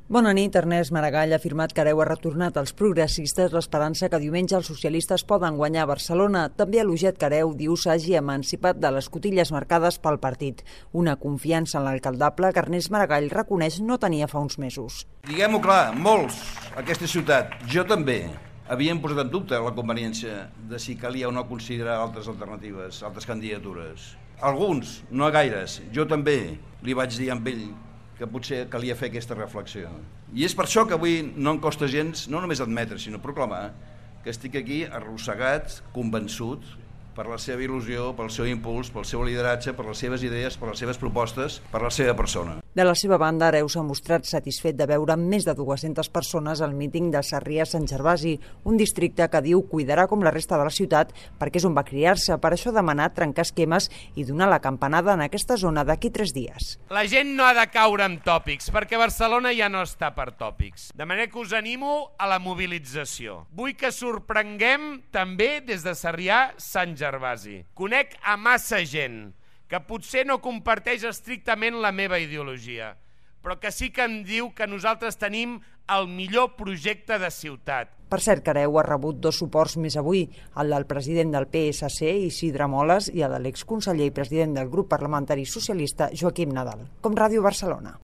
Bona nit. Ernest Maragall ha afirmat que Hereu ha retornat als progressistes l'esperança que diumenge els socialistes poden guanyar a Barcelona. També ha elogiat que Hereu diu s'hagi emancipat de les cotilles marcades pel partit. Una confiança en l'alcaldable que Ernest Maragall reconeix no tenia fa uns mesos. Diguem-ho clar, molts, aquesta ciutat, jo també, havien posat en dubte la conveniència de si calia o no considerar altres alternatives, altres candidatures. Alguns, no gaires, jo també li vaig dir amb ell que potser calia fer aquesta reflexió. I és per això que avui no em costa gens, no només admetre, sinó proclamar que estic aquí arrossegat, convençut, per la seva il·lusió, pel seu impuls, pel seu lideratge, per les seves idees, per les seves propostes, per la seva persona. De la seva banda, Hereu s'ha mostrat satisfet de veure més de 200 persones al míting de Sarrià-Sant Gervasi, un districte que diu cuidarà com la resta de la ciutat perquè és on va criar-se. Per això ha demanat trencar esquemes i donar la campanada en aquesta zona d'aquí 3 dies. La gent no ha de caure en tòpics, perquè Barcelona ja no està per tòpics. De manera que us animo a la mobilització. Vull que sorprenguem també des de Sarrià-Sant Gervasi. Conec a massa gent que potser no comparteix estrictament la meva ideologia, però que sí que em diu que nosaltres tenim el millor projecte de ciutat. Per cert, que Hereu ha rebut 2 suports més avui, el del president del PSC, Isidre Moles, i el de l'exconseller i president del grup parlamentari socialista, Joaquim Nadal. Com Ràdio Barcelona.